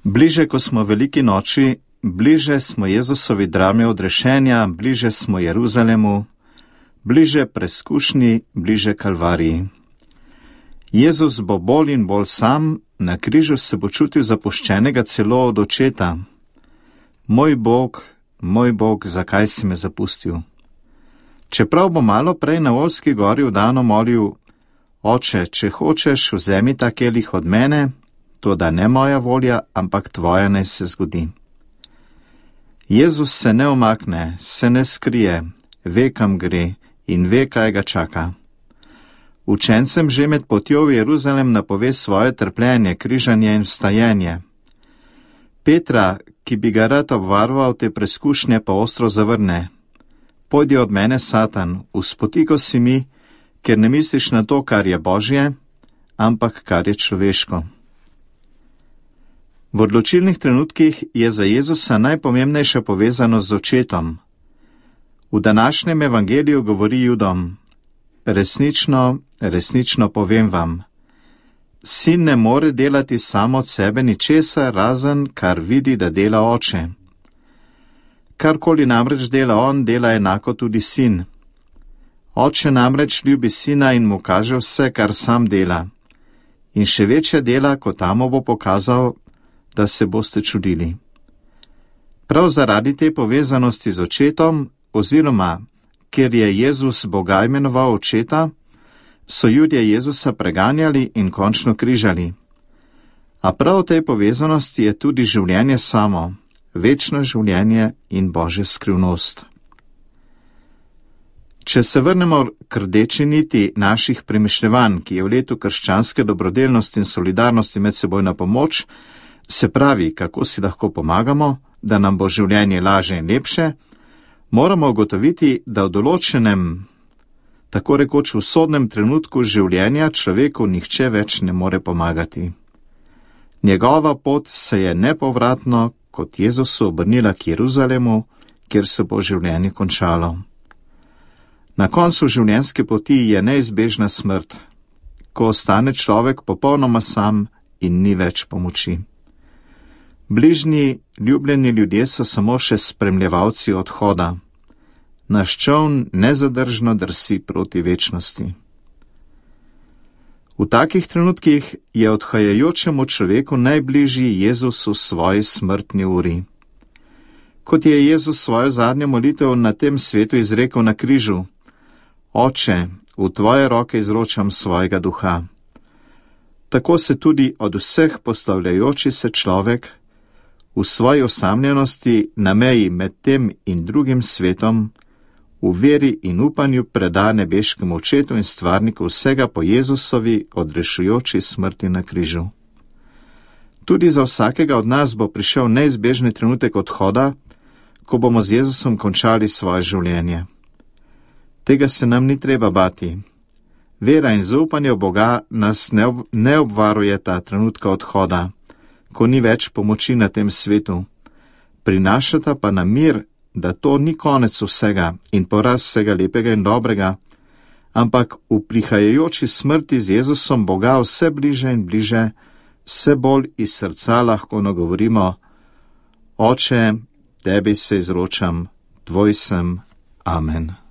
Bliže, ko smo veliki noči, bliže smo Jezusovi drami odrešenja, bliže smo Jeruzalemu, bliže preskušnji, bliže Kalvariji. Jezus bo bolj in bolj sam, na križu se bo čutil zapuščenega celo od očeta. Moj Bog, zakaj si me zapustil? Čeprav bo malo prej na Olski gori vdano molil: Oče, če hočeš, vzemi ta kelih od mene, toda ne moja volja, ampak tvoja naj se zgodi. Jezus se ne umakne, se ne skrije, ve, kam gre in ve, kaj ga čaka. Učencem že med potjo v Jeruzalem napove svoje trpljenje, križanje in vstajenje. Petra, ki bi ga rad obvaroval te preskušnje, pa ostro zavrne: Pojdi od mene, Satan, vzpotiko si mi, ker ne misliš na to, kar je Božje, ampak kar je človeško. V odločilnih trenutkih je za Jezusa najpomembnejša povezanost z očetom. V današnjem evangeliju govori Judom: Resnično povem vam, sin ne more delati samo od sebe ničesar, razen kar vidi, da dela oče. Karkoli namreč dela on, dela enako tudi sin. Oče namreč ljubi sina in mu kaže vse, kar sam dela. In še večja dela, kot tamo bo pokazal, da se boste čudili. Prav zaradi te povezanosti z očetom, oziroma ker je Jezus Boga imenoval očeta, so Judje Jezusa preganjali in končno križali. A prav v tej povezanosti je tudi življenje samo, večno življenje in Božja skrivnost. Če se vrnemo k rdeči niti naših premišljevanj, ki je v letu krščanske dobrodelnosti in solidarnosti medsebojna pomoč, se pravi, kako si lahko pomagamo, da nam bo življenje lažje in lepše, moramo ugotoviti, da v določenem, tako rekoč usodnem trenutku življenja človeku nihče več ne more pomagati. Njegova pot se je nepovratno kot Jezusu obrnila k Jeruzalemu, kjer se bo življenje končalo. Na koncu življenjske poti je neizbežna smrt, ko ostane človek popolnoma sam in ni več pomoči. Bližnji, ljubljeni ljudje so samo še spremljevalci odhoda. Naš čoln nezadržno drsi proti večnosti. V takih trenutkih je odhajajočemu človeku najbližji Jezus v svoji smrtni uri. Kot je Jezus svojo zadnjo molitev na tem svetu izrekel na križu: Oče, v tvoje roke izročam svojega duha. Tako se tudi od vseh postavljajoči se človek v svoji osamljenosti na meji med tem in drugim svetom v veri in upanju preda nebeškemu očetu in stvarniku vsega po Jezusovi odrešujoči smrti na križu. Tudi za vsakega od nas bo prišel neizbežni trenutek odhoda, ko bomo z Jezusom končali svoje življenje. Tega se nam ni treba bati. Vera in zaupanje v Boga nas ne obvarujeta trenutka odhoda, ko ni več pomoči na tem svetu. Prinašata pa nam mir, da to ni konec vsega in poraz vsega lepega in dobrega, ampak v prihajajoči smrti z Jezusom Boga vse bliže in bliže, vse bolj iz srca lahko nagovorimo: Oče, tebi se izročam, tvoj sem. Amen.